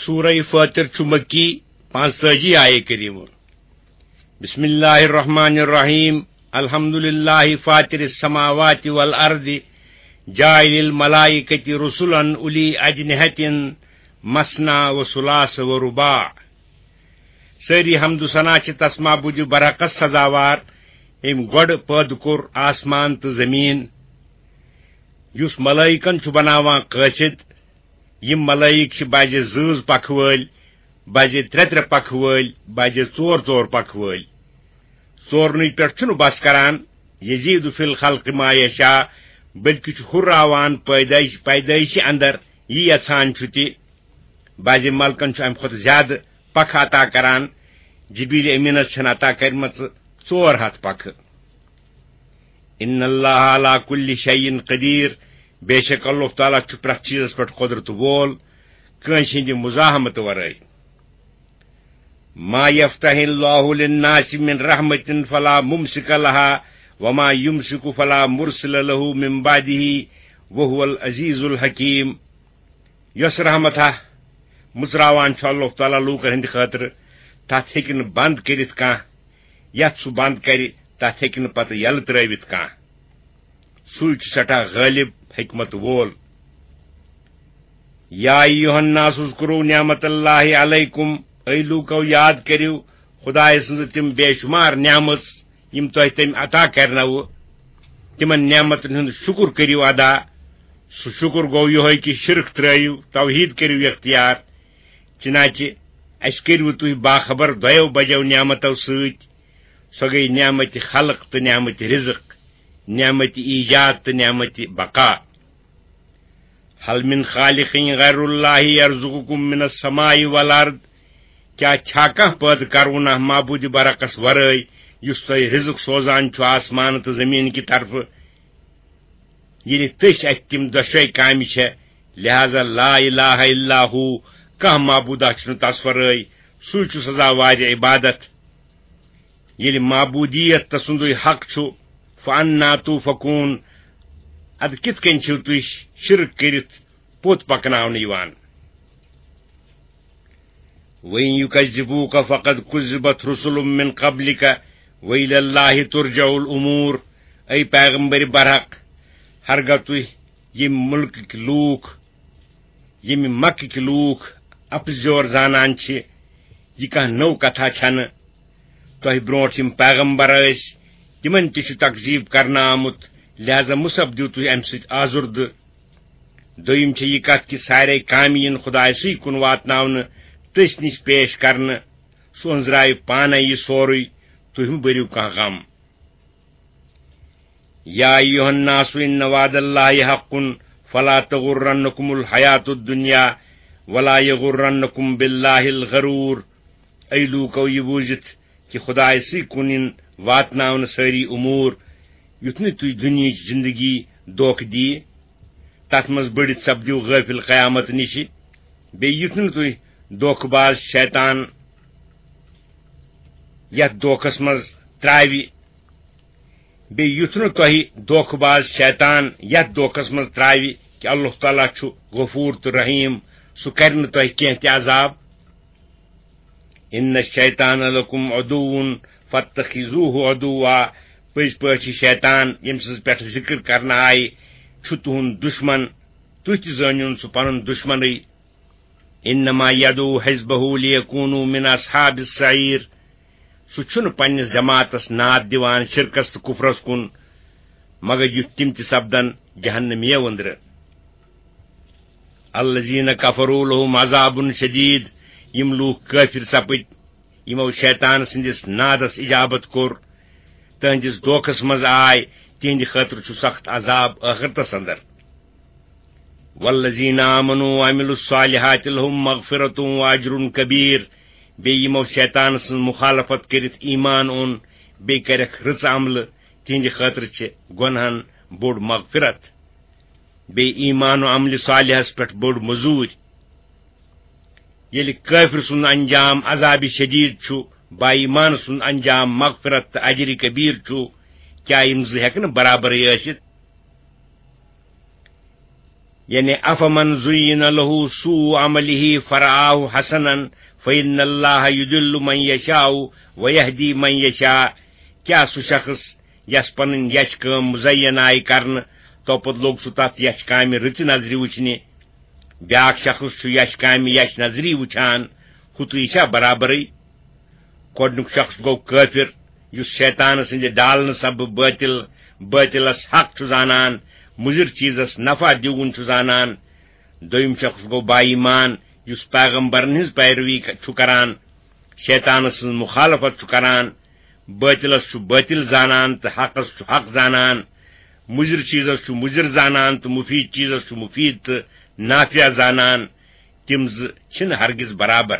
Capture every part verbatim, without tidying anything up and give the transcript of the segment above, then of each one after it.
سورہ فاطر چھُ مکی، پانٛژتٲجی آیے کریمہ۔ بسم اللہ الرحمن الرحیم۔ الحمد للہ فاطر السماوات والارض، جاعل الملائکۃ رسلا اولی اجنحۃ مثنی و ثلاث و رباع۔ سٲری حمد و ثنا چھِ تس معبود برحقس سزاوار، أمۍ گۄڈٕ پٲدٕ کوٚر آسمان تہٕ زمین، یُس ملائکن چھُ بناوان قٲصد۔ یِم ملائک چھِ بعضے زٕ زٕ پکھٕ وٲلۍ، بعضے ترٛےٚ ترٛےٚ پکھٕ وٲلۍ، بعضے ژور ژور پکھٕ وٲلۍ۔ ژورنٕے پٮ۪ٹھ چھُنہٕ بس کران، یزید فی الخلق ما یشاء، بلکہِ چھُ ہُراوان پیدائش، پیدائشہِ اندر یہِ یژھان چھُ تہِ۔ بعضے ملکن چھُ امہِ کھۄتہٕ زیادٕ پکھٕ عطا کران۔ جبریل امینس چھَنہٕ عطا کرِمژٕ ژور ہتھ پکھٕ۔ ان اللہ علی کل شیء قدیر، بے شک اللہ تعالیٰ چھُ پرٛٮ۪تھ چیٖزس پٮ۪ٹھ قۄدرت وول، کٲنٛسہِ ہٕنٛدِ مزاحمتہٕ ورٲے۔ ما یفتح اللہ للناس من رحمة فلا ممسک لها وما یمسک فلا مرسل له من بعده وهو العزیز الحکیم۔ یۄس رحمت ہا مُژراوان چھُ اللہ تعالیٰ لوٗکن ہٕنٛدِ خٲطرٕ، تتھ ہیٚکہِ نہٕ بند کٔرِتھ کانٛہہ، یتھ سُہ بند کرِ، تتھ ہیٚکہِ نہٕ پتہٕ یلہٕ ترٲوِتھ کانٛہہ۔ سُے چھُ سٮ۪ٹھاہ غٲلب، حکمت وول۔ یا ایھا الناس اذکروا نعمت اللہ علیکم، اے لوٗکو، یاد کٔرِو خدایہِ سٕنٛزٕ تِم بے شمار نعمژ، یِم تۄہہِ تٔمۍ عطا کرنوٕ، تِمن نعمتن ہُنٛد شُکر کٔرِو ادا۔ سُہ شُکر گوٚو یِہوٚے کہِ شرک ترٲیِو، توحید کٔرِو اختیار۔ چنانچہ اسہِ کٔرِوٕ تُہۍ باخبر دۄیو بجو نعمتو سۭتۍ، سۄ گٔے نعمت خلق تہٕ نعمت رزق، نعمت ایجاد تہٕ نعمت بقا۔ هل من خالق غیر اللہ یرزقکم من السماء والارض، کیا چھا کانٛہہ پٲدٕ کرونہ معبود برحقس ورٲے، یُس تۄہہِ رزق سوزان چھُ آسمان تہٕ زمین کہِ طرفہٕ؟ ییٚلہِ تٔسۍ اتھِ تِم دۄشوے کامہِ چھےٚ، لہذا لا الہ الا ہو، کانٛہہ معبودہ چھُنہٕ تس ورٲے، سُے چھُ سزاوارِ عبادت۔ ییٚلہِ معبودیت تسُندُے حق چھُ، فانا توفکون، ادٕ کِتھ کٔنۍ چھِو تُہۍ شرک کٔرِتھ پوٚت پکناونہٕ یِوان؟ وَإِن يُكَذِّبُوكَ فَقَدْ كُذِّبَتْ رُسُلٌ مِّن قَبْلِكَ وَإِلَى اللَّهِ تُرْجَعُ الْأُمُورُ۔ اے پیغمبر برحق، ہرگاہ تُہۍ ییٚمہِ مُلکٕکۍ لوٗکھ، ییٚمہِ مکٕکۍ لوٗکھ اپزیور زانان چھِ، یہِ کانٛہہ نٔو کتھا چھنہٕ۔ تۄہہِ برونٛٹھ یِم پیغمبر ٲسۍ، تِمن تہِ چھُ تکذیب کرنہٕ آمُت، لہذا مُصب دِیِو تُہۍ امہِ سۭتۍ آزُردٕ۔ دوٚیِم چھےٚ یہِ کتھ کہِ سارے کامہِ یِن خدایہِ سٕے کُن واتناونہٕ، تٔسۍ نِش پیش کرنہٕ۔ سُہ أنٛزراوِ پانے یہِ سورُے، تُہۍ مہٕ بٔرِو کانٛہہ غم۔ یا ایھا الناس ان وعد اللہ حق فلا تغرنکم الحیات الدنیا ولا یغرنکم باللہ الغرور۔ اے لوٗکو، یہِ بوٗزِتھ کہِ خدایہِ سٕے کُن یِن واتناونہٕ سٲری امور، یُتھ نہٕ تُہۍ دُنیہٕچ زندگی دھوکہٕ دِیہِ، تتھ منٛز بٔڑِتھ سپدِو غٲفِل قیامت نِشہِ۔ بیٚیہِ یُتھ نہٕ تُہۍ دھوکہٕ باز شیطان یتھ دھوکس منٛز تراوِ، بیٚیہِ یُتھ نہٕ تۄہہِ دھوکہٕ باز شیطان یتھ دھوکس منٛز تراوِ کہِ اللہ تعالیٰ چھُ غفور تہٕ رحیم، سُہ کرِ نہٕ تۄہہِ کینٛہہ تہِ عذاب۔ ان الشیطان لکم عدو فاتخذوہ عدوا، پٔزۍ پٲٹھۍ چھُ شیطان، ییٚمہِ سٕنٛز پٮ۪ٹھ ذکر کرنہٕ آیہِ، چھُ تُہُنٛد دُشمن، تُہۍ تہِ زٲنِوُن سُہ پنُن دُشمنٕے۔ انما یدعو حزبہ لیکونوا من اصحاب السعیر، سُہ چھُنہٕ پننِس جماعتس ناد دِوان شرکس تہٕ کفرس کُن، مگر یُتھ تِم تہِ سپدن جہنمیو أنٛدرٕ۔ الذین کفروا لہم عذاب شدید، یِم لوٗکھ کٲفِر سپٕدۍ، یِمو شیطان سٕنٛدِس نادس اجابت کوٚر، تہنٛدِس دھوکس منٛز آے، تِہنٛدِ خٲطرٕ چھُ سخت عذاب ٲخرتس اندر۔ والذین آمنوا وعملوا الصالحات لہم مغفرۃ واجر کبیر، بیٚیہِ یِمو شیطان سٕنٛز مخالفت کٔرِتھ ایمان اوٚن، بیٚیہِ کٔرکھ رٕژ عملہٕ، تِہنٛدِ خٲطرٕ چھِ گۄنہن بوٚڑ مغفرت۔ بیٚیہِ ایمان و عملِ صالحس پٮ۪ٹھ بٔڑ مٔزوٗرۍ۔ ییٚلہِ کٲفِر سُنٛد انجام عذابِ شدیٖد چھُ، با ایمان سُنٛد انجام مغفرت تہٕ اجرِ کبیٖر چھُ، کیٛاہ یِم زٕ ہٮ۪کہٕ نہٕ برابرٕے ٲسِتھ؟ یعنی، افمن زین لہ سوء عملہ فرآہ حسنا فإن اللہ یضل من یشاء ویہدی من یشاء۔ کیا سُہ شخص یس پنٕنۍ یچھ کٲم مزین آیہِ کرنہٕ، تو پتہٕ لوٚگ سُہ تتھ یچھ کامہِ رٕژِ نظرِ وٕچھنہِ، بیاکھ شخص چھُ یچھ کامہِ یچھ نظری وٕچھان، ہُتُے چھا برابرٕے؟ گۄڈنیُک شخص گوٚو کٲفِر، یُس شیطان سٕنٛدِ ڈالنہٕ سببہٕ بٲطِل، بٲطِلس حق چھُ زانان، مُضِر چیٖزس نفع دیوُن چھُ زانان۔ دوٚیِم شخص گوٚو با ایمان، یُس پیغمبرن ہٕنٛز پیروی ک-، چھُ کران، شیطان سٕنٛز مخالفت چھُ کران، بٲطِلس چھُ بٲطِل زانان تہٕ حقس چھُ حق زانان، مُضِر چیٖزس چھُ مُضِر زانان تہٕ مُفیٖد چیٖزس چھُ مُفیٖد تہٕ نافع زانان۔ تِم زٕ چھِنہٕ ہرگز برابر،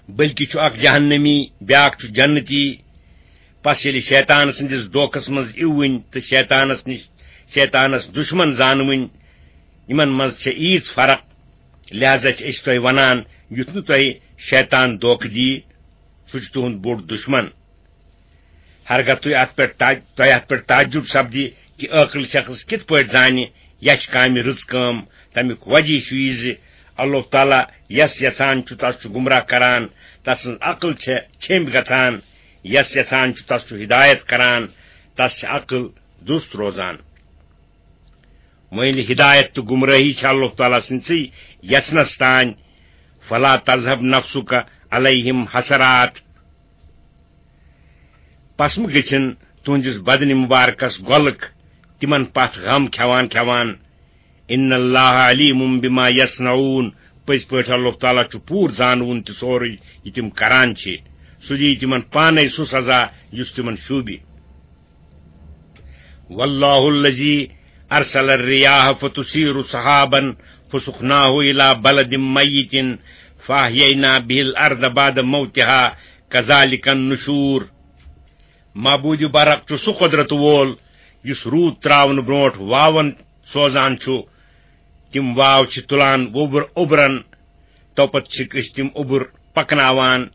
بلکہِ چھُ اکھ جہنمی، بیاکھ چھُ جنتی۔ پس ییٚلہِ شیطان سٕنٛدِس دھوکس منٛز اِوٕنۍ تہٕ شیطانس نِش، شیطانس دُشمن زانوٕنۍ، یِمن منٛز چھےٚ ییٖژ فرق۔ لہذا چھِ أسۍ تۄہہِ ونان، یُتھ نہٕ تۄہہِ شیطان دھوکہٕ دِیہِ، سُہ چھُ تُہُنٛد بوٚڑ دُشمن۔ ہرگاہ تُہۍ اتھ پٮ۪ٹھ تع-، تۄہہِ اتھ پٮ۪ٹھ تعجب سپدِ کہِ عٲقل شخص کِتھ پٲٹھۍ زانہِ یچھ کامہِ رٕژ کٲم، تمیُک وجہ چھُ یہِ زِ اللہ تعالیٰ یس یژھان چھُ، تس چھُ گمراہ کران، تسٕنٛز عقل چھےٚ چھیٚمبۍ گژھان، یس یژھان چھُ، تس چھُ ہدایت کران، تس چھِ عقل دُست روزان۔ وۄنۍ ییٚلہِ ہدایت تہٕ گمراہی چھِ اللہ تعالیٰ سٕنٛدسٕے یژھنس تانۍ، فلا تذهب نفسك عليهم حسرات، پس مہٕ گٔژھِن تُہنٛدِس بدنِ مُبارکس غۄلک تِمن پتھ غم کھٮ۪وان کھٮ۪وان۔ ان اللہ علیم بما یصنعون، پٔزۍ پٲٹھۍ اللہ تعالیٰ چھُ پوٗرٕ زانوُن تہِ سورُے یہِ تِم کران چھِ۔ سُہ دِیہِ تِمن پانے سُہ سزا یُس تِمن شوٗبہِ۔ واللہ الذی ارسل الرياح فتثير سحابا فسقناه الى بلد ميت فاحيينا به الارض بعد موتها كذلك النشور۔ معبود برق چھُ سُہ قۄدرت وول یُس روٗد تراونہٕ برونٛٹھ واون سوزان چھُ۔ تِم واو چھِ تُلان ووبر-، اوبرن، توپتہٕ چھِکھ أسۍ تِم اوبُر پکناوان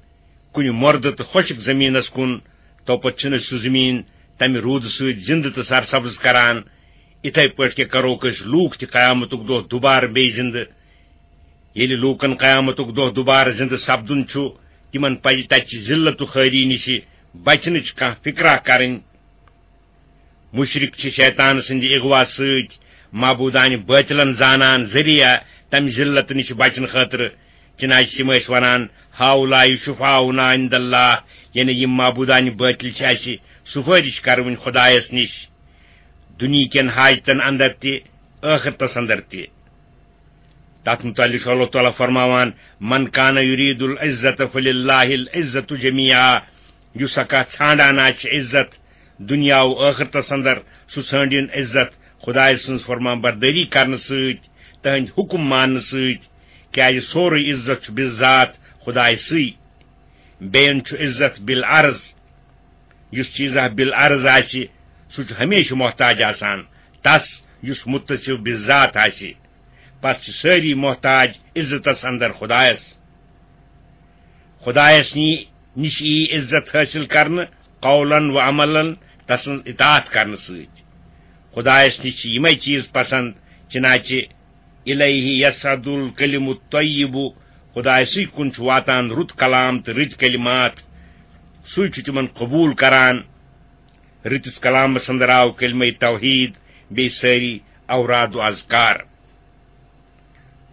کُنہِ مۄردٕ تہٕ خۄشک زٔمیٖنس کُن، توپتہٕ چھِنہٕ أسۍ سُہ زٔمیٖن تمہِ روٗدٕ سۭتۍ زِندٕ تہٕ سرسبز کران۔ اِتھے پٲٹھۍ کیٛاہ کروکھ أسۍ لوٗکھ تہِ قیامتُک دۄہ دُبارٕ بیٚیہِ زِندٕ؟ ییٚلہِ لوٗکن قیامتُک دۄہ دُبارٕ زِندٕ سپدُن چھُ، تِمن پزِ تتہِ چہِ ذلت و خوٲری نِشہِ بچنٕچ کانٛہہ فِکرا کرٕنۍ۔ مُشرِک چھِ شیطان سٕنٛدِ اغوا سۭتۍ معبوٗدانہِ بٲطِلن زانان ذٔریعہٕ تَمہِ ذِلت نِش بچنہٕ خٲطرٕ۔ چنانچہ تِم ٲسۍ وَنان، "ہاؤلاء شفعاؤنا عند اللہ"، یعنی یِم معبوٗدانہِ بٲطِل چھِ اَسہِ سُفٲرِش کَرٕوٕنۍ خۄدایَس نِش، دُنیہِکٮ۪ن حاجتن اندر تہِ، ٲخرتس اندر تہِ۔ تتھ متعلق چھُ اللہ تعالیٰ فرماوان، "من کان یرید العزت فللہ العزت جمیعا"، یُس ہا کانٛہہ ژھانڈان آسہِ عزت دُنیا و ٲخرتس اندر، سُہ ژھٲنڈِن عزت خدایہِ سٕنٛز فرمان بردٲری کرنہٕ سۭتۍ، تہنٛدۍ حُکم ماننہٕ سۭتۍ، کیازِ سورُے عزت چھُ بِذات خدایہِ سٕے۔ بیٚین چھُ عزت بالعرض۔ یُس چیٖزا بالعرض آسہِ، سُہ چھُ ہمیشہِ محتاج آسان تس یُس متصف بالذات آسہِ۔ پس چھِ سٲری محتاج عزتس اندر خدایس۔ خدایس نی-، نِش یی عزت حٲصِل کرنہٕ قولن و عملن، تسٕنٛز اطاعت کرنہٕ سۭتۍ۔ خدایس نِش چھِ یِمے چیٖز پسند، چنانچہ الیہ یصعد الکلم الطیب، خدایسٕے کُن چھُ واتان رُت کلام تہٕ رٕتۍ کلمات، سُے چھُ تِمن قبوٗل کران۔ رٕتِس کلامس اندر آو کلمہ توحید، بیٚیہِ سٲری اوراد و اذکار۔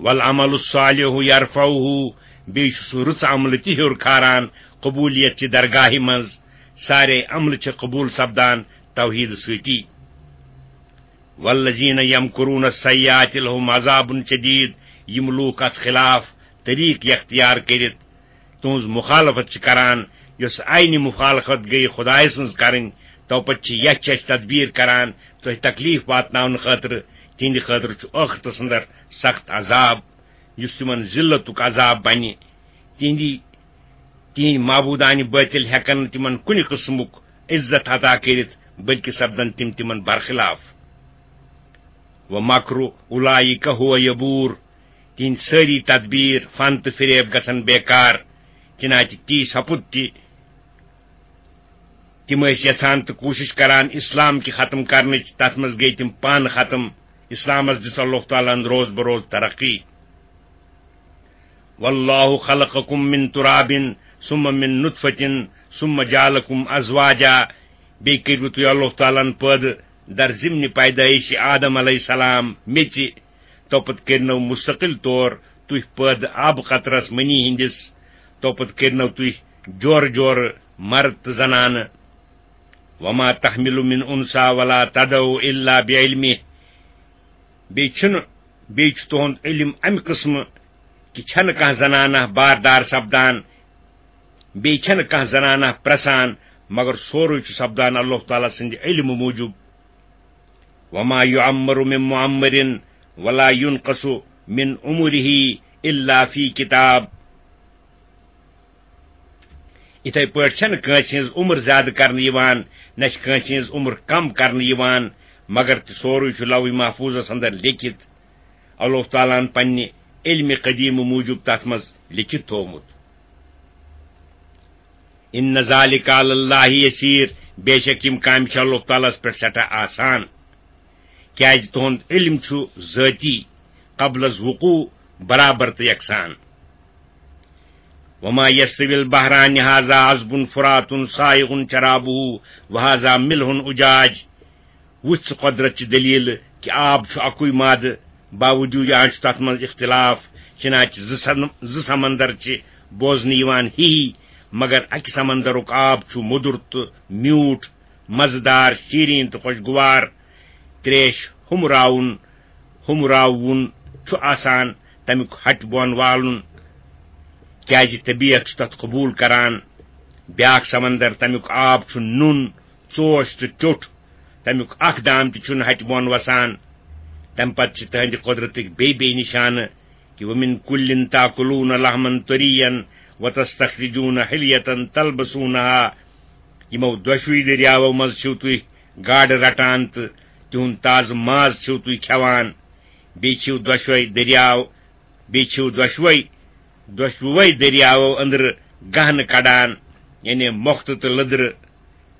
والعمل الصالح یرفعہ، بیٚیہِ چھُ سُہ رٕژ عملہٕ تہِ ہیوٚر کھاران قبولیت چہِ درگاہہِ منٛز۔ سارے عملہٕ چھِ قبوٗل سپدان توحید سۭتی۔ والذین یمکرون السیئات لہم عذاب شدید، یِم لوٗکھ اتھ خلاف طریٖق یختیار کٔرِتھ تُہٕنٛز مخالفت چھِ کران، یۄس عینِ مخالفت گٔیہِ خدایہِ سٕنٛز کرٕنۍ، توپتہٕ چھِ یچھ یچھ تدبیر کران تۄہہِ تکلیف واتناونہٕ خٲطرٕ، تِہنٛدِ خٲطرٕ چھُ ٲخرتس اندر سخت عذاب، یُس تِمن ذلتُک عذاب بنہِ۔ تِہنٛدِ، تِہنٛدۍ معبوٗدانہِ بٲطِل ہٮ۪کن نہٕ تِمن کُنہِ قٕسمُک عزت عطا کٔرِتھ، بلکہِ سپدن تِم تِمن برخلاف۔ ومکر اولئک هو یبور، تِہنٛدۍ سٲری تدبیر، فن تہٕ فریب گژھن بیکار۔ چنانچہ تی سپُد تہِ، تِم ٲسۍ یژھان تہٕ کوٗشش کران اسلام کہِ ختم کرنٕچ، تتھ منٛز گٔے تِم پانہٕ ختم۔ اسلامس دِژ اللہ تعالیٰ ہن روز بروز ترقی۔ واللہ خلقکم من تراب ثم من نطفة ثم جعلکم ازواجا۔ بیٚیہِ کٔرِو تُہۍ اللہ تعالیٰ ہن پٲدٕ در ضمن پیدٲیش آدم علیہ السلام میٚژِ، تو پتہٕ کٔرنو مستقل طور تُہۍ پٲدٕ آبہٕ قطرس منی ہٕنٛدِس، تو پتہٕ کٔرنو تُہۍ جورٕ جورٕ مرد تہٕ زنانہٕ۔ وما تحمل من انثى ولا تضع الا بعلمه۔ بیٚیہِ چھُنہٕ، بیٚیہِ چھُ تُہُنٛد علم امہِ قٕسمہٕ کہِ چھَنہٕ کانٛہہ زنانہ باردار سپدان، بیٚیہِ چھَنہٕ کانٛہہ زنانہ پرٛسان، مگر سورُے چھُ سپدان اللہ تعالیٰ سٕنٛدِ علمہٕ موٗجوٗب۔ وما يعمر من معمر ولا ينقص من عمره الا في كتاب۔ یِتھے پٲٹھۍ چھَنہٕ کٲنٛسہِ ہٕنٛز عمر زیادٕ کرنہٕ یِوان، نہ چھِ کٲنٛسہِ ہٕنٛز عمر کم کرنہٕ یِوان، مگر تہِ سورُے چھُ لوح محفوظس اندر لیکھِتھ۔ اللہ تعالیٰ ہن پننہِ علمِ قدیمہٕ موٗجوٗب تتھ منٛز لیکھِتھ تھوومُت۔ ان ذلك على الله يسير، بے شک یِم کامہِ چھِ اللہ تعالیٰ ہس پٮ۪ٹھ سٮ۪ٹھاہ آسان، کیازِ تُہُنٛد علم چھُ ذٲتی، قبل از وقوع، برابر تہٕ یکسان۔ وما يستوي البحران هذا عذب فرات سائغ شرابه وهذا ملح أجاج۔ وٕچھ ژٕ قۄدرت چہِ دٔلیٖلہٕ کہِ آب چھُ اَکُے مادٕ، باوجوٗد یہِ چھُ تَتھ منٛز اختلاف، چنانچہ زٕ سن-، زٕ سمندر چھِ بوزنہٕ یِوان ہی ہی، مگر اَکہِ سمندرُک آب چھُ مُدُر تہٕ میوٗٹھ، مزٕدار، شیٖریٖن تہٕ خۄشگوار۔ تریش ہُمراوُن، ہُمراوُن چھُ آسان تَمیُک ہَٹہِ بۄن والُن، کیازِ طبیعت چھُ تَتھ قبوٗل کران۔ بیٛاکھ سمندر، تَمیُک آب چھُ نوٗن، ژوش تہٕ ٹیوٚٹھ، تَمیُک اکھ دام تہِ چھُنہٕ ہَٹہِ بۄن وسان۔ تَمہِ پتہٕ چھِ تٕہنٛدِ قۄدرتٕکۍ بیٚیہِ بیٚیہِ نِشانہٕ کہِ وَمِن کُلٍ تَأْكُلُونَ لَحْمًا طَرِيًّا وَتَسْتَخْرَجُونَ حِلْيَةً تَلْبَسُونَهَا۔ یِمو دۄشوٕے دٔریاوو منٛز چھِو تُہۍ گاڈٕ رٹان تہٕ تِہُنٛد تازٕ ماز چھِو تُہۍ کھٮ۪وان۔ بیٚیہِ چھِو دۄشوے دٔریاو، بیٚیہِ چھِو دۄشوے، دۄشوٕے دٔریاوو أنٛدرٕ گہنہٕ کڑان، یعنی مۄختہٕ تہٕ لٔدرٕ۔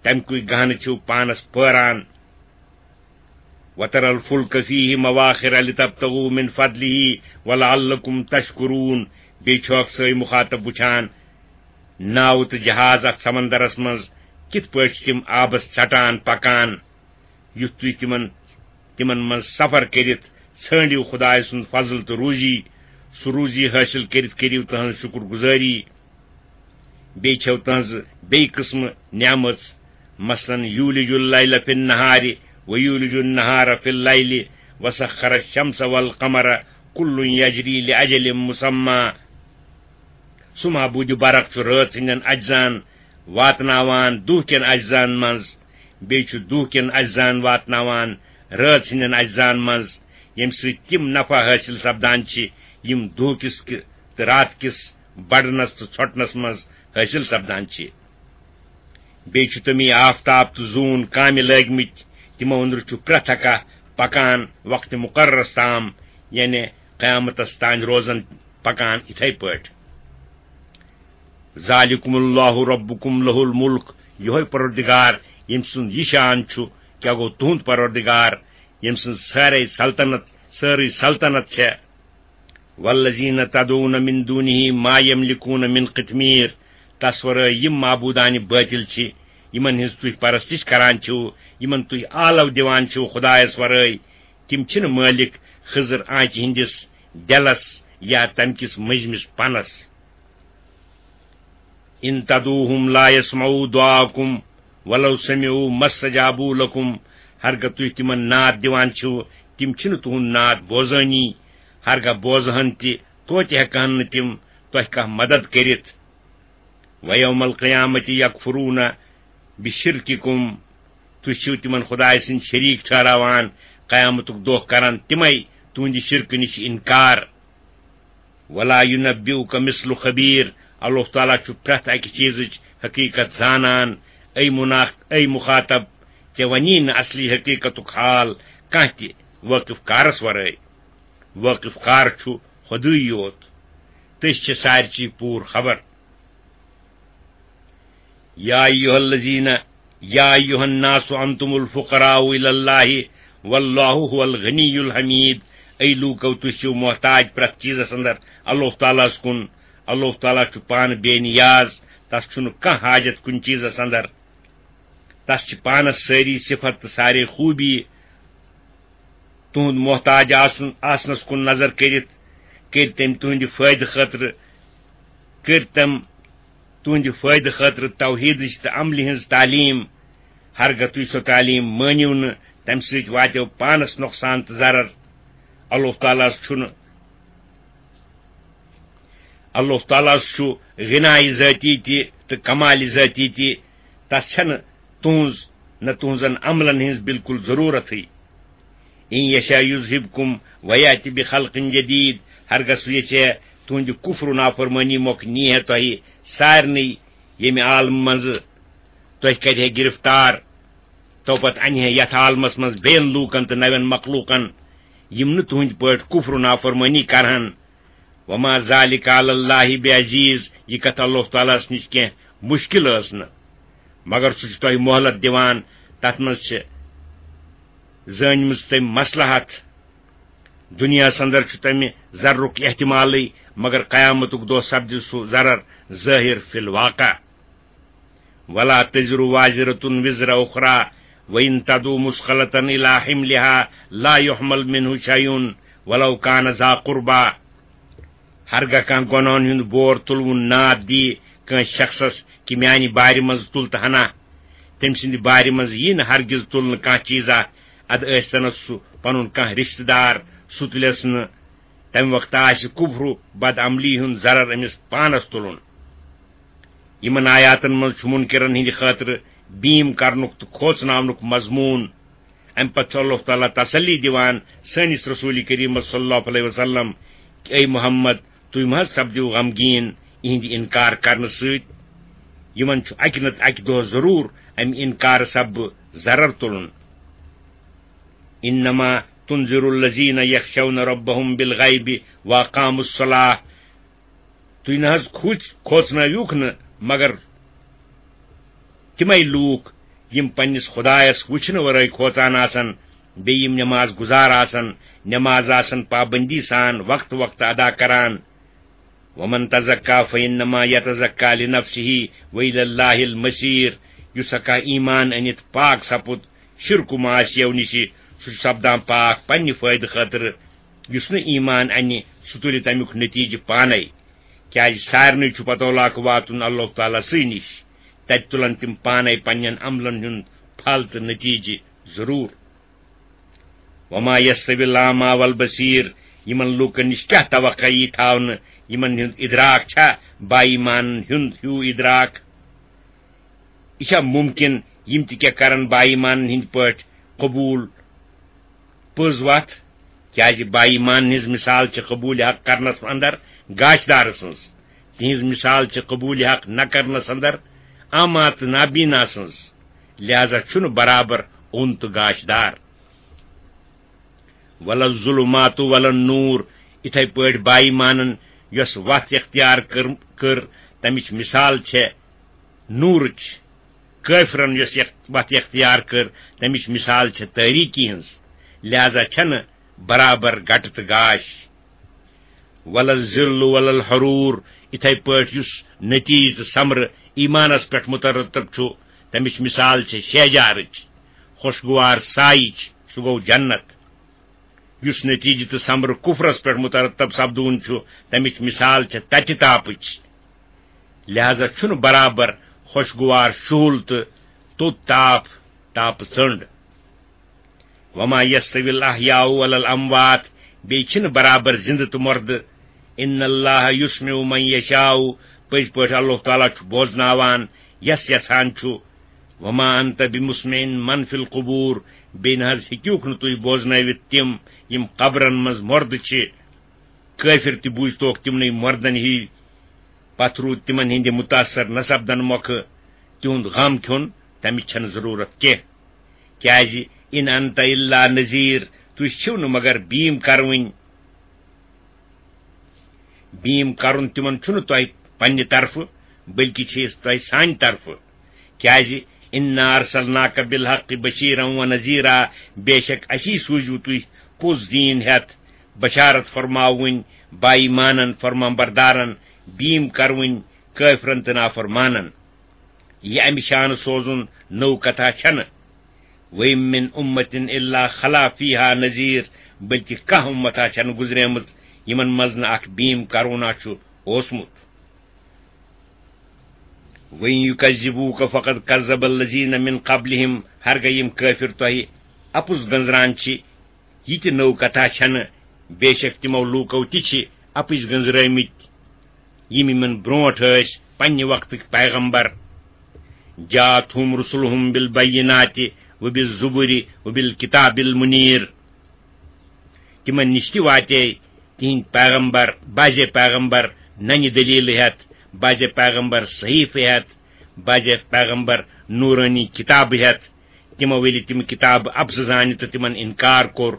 تَمہِ کُے گہنہٕ چھِو پانس پٲران۔ وَتَرَى الْفُلْكَ فِيهِ مَوَاخِرَ لِتَبْتَغُوا مِنْ فَضْلِهِ وَلَعَلَّكُمْ تَشْكُرُونَ۔ بیٚیہِ چھُ اکھ سٲنۍ مُخاطب وٕچھان ناوٕ تہٕ جہاز اتھ سمندرس منٛز کِتھ پٲٹھۍ چھِ تِم آبس ژٹان پکان۔ یُتھ تُہۍ تِمن، تِمن منٛز سفر کٔرِتھ ژھٲنٛڈِو خدایہِ سُنٛد فضل تہٕ روٗزی، سُہ روٗزی حٲصِل کٔرِتھ کٔرِو تُہٕنٛز شُکر گُزٲری۔ بیٚیہِ چھَو تُہٕنٛز بیٚیہِ قٕسمہٕ نعمژ، مثلاً، يُولِجُ اللَّيْلَ فِي النَّهَارِ وَيُولِجُ النَّهَارَ فِي اللَّيْلِ وَسَخَّرَ الشَّمْسَ وَالْقَمَرَ كُلٌّ يَجْرِي لِأَجَلٍ مُّسَمًّى۔ سُہ معبوٗدِ برق چھُ رٲژ ہٕنٛدٮ۪ن اجزاہن واتناوان دُہ کٮ۪ن اجزاہن منٛز، بیٚیہِ چھُ دُہ کٮ۪ن اجزاہن واتناوان رٲژ ہٕنٛدٮ۪ن اجزاہن منٛز، ییٚمہِ سۭتۍ تِم نفع حٲصِل سپدان چھِ، یِم دُہ کِس کہِ-، تہٕ راتہٕ کِس بڑنس تہٕ ژھۄٹنس منٛز حٲصِل سپدان چھِ۔ بیٚیہِ چھُ تٔمی آفتاب تہٕ زوٗن کامہِ لٲگمٕتۍ، تِمو أنٛدرٕ چھُ پرٛٮ۪تھ اکھ پکان وقتِ مُقررس تام، یعنی قیامتس تام روزان پکان یِتھے پٲٹھۍ۔ ذالکم اللہ ربکم لہ الملک، یہوے پروردگار، ییٚمہِ سُنٛد یہِ شان چھُ، کیٛاہ گوٚو تُہُنٛد پروردگار، ییٚمہِ سٕنٛز سٲرے سلطنت، سٲرٕے سلطنت چھےٚ۔ والذین تدعون من دونه ما یملکون من قطمیر، تس ورٲے یِم معبوٗدانہِ بٲطِل چھِ، یِمن ہٕنٛز تُہۍ پرستش کران چھِو، یِمن تُہۍ آلو دِوان چھِو خدایس ورٲے، تِم چھِنہٕ مٲلِک خضر آنچہِ ہٕنٛدِس ڈٮ۪لس یا تمہِ کِس مٔنٛزمِس پنس۔ ان تدعوهم لا يسمعوا دعاءكم ولو سمعوا ما استجابوا لكم۔ ہرگاہ تُہۍ تِمن ناد دِوان چھِو، تِم چھِنہٕ تُہُنٛد ناد بوزٲنی۔ ہرگاہ بوزہن تہِ، توتہِ ہٮ۪کہن نہٕ تِم تۄہہِ کانٛہہ مدد کٔرِتھ۔ ویوم القیامت یکفرون بشرککم، تُہۍ چھِو تِمن خدایہِ سٕنٛدۍ شریٖک ٹھہراوان، قیامتُک دۄہ کرن تِمے تُہنٛدِ شرکہٕ نِش انکار۔ ولا ينبئك مثل خبير، اللہ تعالیٰ چھُ پرٛٮ۪تھ اَکہِ چیٖزٕچ حقیٖقت زانان۔ اے مناخ، اے مخاطب، ژےٚ وَنی نہٕ اصلی حقیٖقتُک حال کانٛہہ تہِ وٲقف کارس ورٲے۔ وٲقف کار چھُ خۄدٕے یوت، تٔمِس چھِ سارِچی پوٗرٕ خبر۔ یا ایھا الذین، یا ایھا الناس انتم الفقراء الی اللہ، واللہ هو الغنی الحمید۔ اے لوٗکو، تُہۍ چھِو محتاج پرٛٮ۪تھ چیٖزس اندر اللہ تعالیٰ ہس کُن۔ اللہ تعالیٰ چھُ پانہٕ بے نیاز، تس چھُنہٕ کانٛہہ حاجت کُنہِ چیٖزس اندر۔ تس چھِ پانس سٲری صفت تہٕ سارے خوٗبی۔ تُہُنٛد محتاج آسُن، آسنس کُن نظر کٔرِتھ کٔرۍ تٔمۍ تُہٕنٛدِ فٲیدٕ خٲطرٕ، کٔرۍ تِم تُہٕنٛدِ فٲیدٕ خٲطرٕ توحیٖدٕچ تہٕ عملہِ ہٕنٛز تعلیٖم۔ ہرگاہ تُہۍ سۄ تعلیٖم مٲنِو نہٕ، تَمہِ سۭتۍ واتیو پانس نۄقصان تہٕ ضرر۔ اللہ تعالیٰ ہس چھُنہٕ، اللہ تعالیٰ ہس چھُ غنایہِ ذٲتی تہِ تہٕ کمالہِ ذٲتی تہِ۔ تس چھنہٕ تُہٕنٛز نہ تُہٕنٛزن عملن ہٕنٛز بالکل ضروٗرتھٕے۔ ان یشاء یذہبکم ویأتِ بخلق جدید، ہرگاہ سُہ یژھِ ہے تُہٕنٛدِ کفر و نافرمٲنی مۄکھ نی ہے تۄہہِ سارنٕے ییٚمہِ عالمہٕ منٛزٕ، تۄہہِ کرِ ہے گرفتار، تو پتہٕ انہِ ہے یتھ عالمس منٛز بیٚین لوٗکن تہٕ نوٮ۪ن مخلوٗقن، یِم نہٕ تُہٕنٛدِ پٲٹھۍ کفر و نافرمٲنی کرہن۔ وما ذلک علی اللہ بعزیز، یہِ کتھ اللہ تعالیٰ ہس نِش کینٛہہ مشکل ٲس نہٕ، مگر سُہ چھُ تۄہہِ مۄہلت دِوان، تتھ منٛز چھِ زٲنمٕژ تٔمۍ مصلحت۔ دُنیاہس اندر چھُ تمہِ ضررُک احتمالٕے، مگر قیامتُک دۄہ سپدِ سُہ ضرر ظٲہر فی الواقع۔ ولا تزر وازرة وزر أخرى وإن تدع مثقلة إلى حملها لا يحمل منه شيء ولو كان ذا قربى۔ ہرگاہ کانٛہہ گۄنہن ہُنٛد بور تُلوُن ناد دی کٲنٛسہِ شخصس کہِ میانہِ بارِ منٛز تُل تہٕ ہنا، تٔمۍ سٕنٛدِ بارِ منٛز یی نہٕ ہرگز تُلنہٕ کانٛہہ چیٖزا، ادٕ ٲسۍ تنس سُہ پنُن کانٛہہ رشتہٕ دار، سُہ تُلٮ۪س نہٕ۔ تمہِ وقتہٕ آسہِ کفر و بدعملی ہُنٛد ضرر أمِس پانس تُلُن۔ یِمن آیاتن منٛز چھُ منکرن ہٕنٛدِ خٲطرٕ بیٖم کرنُک تہٕ کھوژناونُک مضموٗن۔ امہِ پتہٕ چھُ اللہ تعالیٰ تسلی دِوان سٲنِس رسول کریمس صلی اللہ علیہ وسلم کہِ اے محمد، تُہۍ مہ حظ سپدِو غمگیٖن یِہنٛدِ انکار کرنہٕ سۭتۍ۔ یِمن چھُ اکہِ نتہٕ اکہِ دۄہ ضروٗر امہِ انکار سببہٕ ضرر تُلُن۔ انما تنذر الذین یخشون ربهم بالغیب واقاموا الصلاة۔ تُہۍ نہ حظ کھوژ-، کھوژنٲوِوکھ نہٕ مگر تِمے لوٗکھ یِم پننِس خدایس وٕچھنہٕ ورٲے کھوژان آسن، بیٚیہِ یِم نماز گُزار آسن، نماز آسن پابندی سان وقتہٕ وقتہٕ ادا کران۔ ومن تزکا فانما یتزکا لنفسہ والی اللہ المصیر۔ یُس ہا کانٛہہ ایمان أنِتھ پاک سپُد شرک و معاشیو نِشہِ، سُہ چھُ سپدان پاک پننہِ فٲیدٕ خٲطرٕ۔ یُس نہٕ ایمان انہِ، سُہ تُلہِ تمیُک نتیجہٕ پانے، کیازِ سارنٕے چھُ پتولاک واتُن اللہ تعالیٰ سٕے نِش۔ تتہِ تُلن تِم پانے پننٮ۪ن عملن ہُنٛد پھل تہٕ نتیجہٕ ضروٗر۔ وما یستوی الاعمی والبصیر، یِمن لوٗکن نِش کیٛاہ توقع یی تھاونہٕ، یِمن ہُنٛد ادراک چھا با ایمانن ہُنٛد ہیوٗ ادراک؟ یہِ چھا ممکن یِم تہِ کیٛاہ کرن با ایمانن ہٕنٛدۍ پٲٹھۍ قبول پٔز وتھ؟ کیازِ با ایمانن ہٕنٛز مثال چھِ قبول حق کرنس اندر گاشدار سٕنٛز، تِہنٛز مثال چھِ قبول حق نہ کرنس اندر اعمی تہٕ نابینا سٕنٛز، لہذا چھُنہٕ برابر اوٚن تہٕ گاشدار۔ ولا الظلمات ولا النور، اِتھے پٲٹھۍ با ایمانن یۄس وتھ اختیار کٔر، کٔر، تمِچ مثال چھےٚ نورٕچ۔ کٲفرن یۄس یَتھ وتھ اختیار کٔر، تمِچ مثال چھےٚ تٲریٖکی ہٕنٛز، لہذا چھنہٕ برابر گٹہٕ تہٕ گاش۔ ولا الظل ولا الحرور، اِتھے پٲٹھۍ یُس نتیجہٕ تہٕ ثمرٕ ایمانس پٮ۪ٹھ مترتب چھُ، تمِچ مثال چھےٚ شہجارٕچ، خوشگوار سایِچ، سُہ گوٚو جنت۔ یُس نتیجہٕ تہٕ ثمرٕ کفرس پٮ۪ٹھ مترتب سپدوُن چھُ، تمِچ مثال چھےٚ تتہِ تاپٕچ۔ لہذا چھُنہٕ برابر خوشگوار شُہُل تہٕ توٚت تاپھ، تاپہٕ ژٔنٛڈ۔ وما یستوی الاحیاء ولا الاموات، بیٚیہِ چھِنہٕ برابر زِندٕ تہٕ مردٕ۔ ان اللہ یسمع من یشاء، پٔزۍ پٲٹھۍ اللہ تعالیٰ چھُ بوزناوان یس یژھان چھُ۔ وما انت بمسمع من فی القبور، بیٚیہِ نہ حظ ہیٚکِوکھ نہٕ تُہۍ بوزنٲوِتھ تِم یِم قبرن منٛز مردٕ چھِ۔ کٲفر تہِ بوٗزتوکھ تِمنٕے مردن ہی۔ پتہٕ روٗد تِمن ہٕنٛدِ متاثر نہ سپدن مۄکھٕ تِہُنٛد غم کھیوٚن، تمِچ چھنہٕ ضروٗرت کینٛہہ۔ کیازِ ان انت الا نذیر، تُہۍ چھِو نہٕ مگر بیٖم کرٕوٕنۍ۔ بیٖم کرُن تِمن چھُنہٕ تۄہہِ پننہِ طرفہٕ، بلکہِ چھِ أسۍ تۄہہِ سانہِ طرفہٕ۔ کیازِ انا ارسلناک بالحق بشیرا و نذیرا، بے شک اسی سوٗزِو تُہۍ پوٚز دیٖن ہٮ۪تھ، بشارت فرماوٕنۍ با ایمانن، فرمان بردارن، بیٖم کروٕنۍ کٲفرن تہٕ نافرمانن۔ یہِ امہِ شانہٕ سوزُن نٔو کتھا چھنہٕ۔ وَإِن مِّنْ أُمَّةٍ إِلَّا خَلَا فِيهَا نَذِيرٌ، بلکہ کانٛہہ اُمتھا چھنہٕ گُزریمٕژ یِمن منٛز نہٕ اکھ بیٖم کرونا چھُ اوسمُت۔ وَإِن يُكَذِّبُوكَ فَقَدْ كَذَّبَ الَّذِينَ مِنْ قَبْلِهِمْ، ہرگاہ یِم کٲفر تۄہہِ اپُز گنزران چھِ، یہِ تہِ نٔو کتھا چھنہٕ، بے شک تِمو لوٗکو تہِ چھِ اپٕز گنزرٲومٕتۍ۔ یِم یِمن برونٹھ ٲسۍ پننہِ وقتٕکۍ پیغمبر۔ جاءتهم رسلهم بالبينات وبالزبر وبالكتاب المنير۔ تِمن نِش تہِ واتے تِہنٛدۍ پیغمبر، بعضے پیغمبر ننہِ دلیلہٕ ہٮ۪تھ، بعضے پیغمبر صحیفہٕ ہٮ۪تھ، بعضے پیغمبر نورانی کتابہٕ ہٮ۪تھ۔ تِمو ییٚلہِ تِم کتابہٕ اپزٕ زانہِ تہٕ تِمن انکار کوٚر،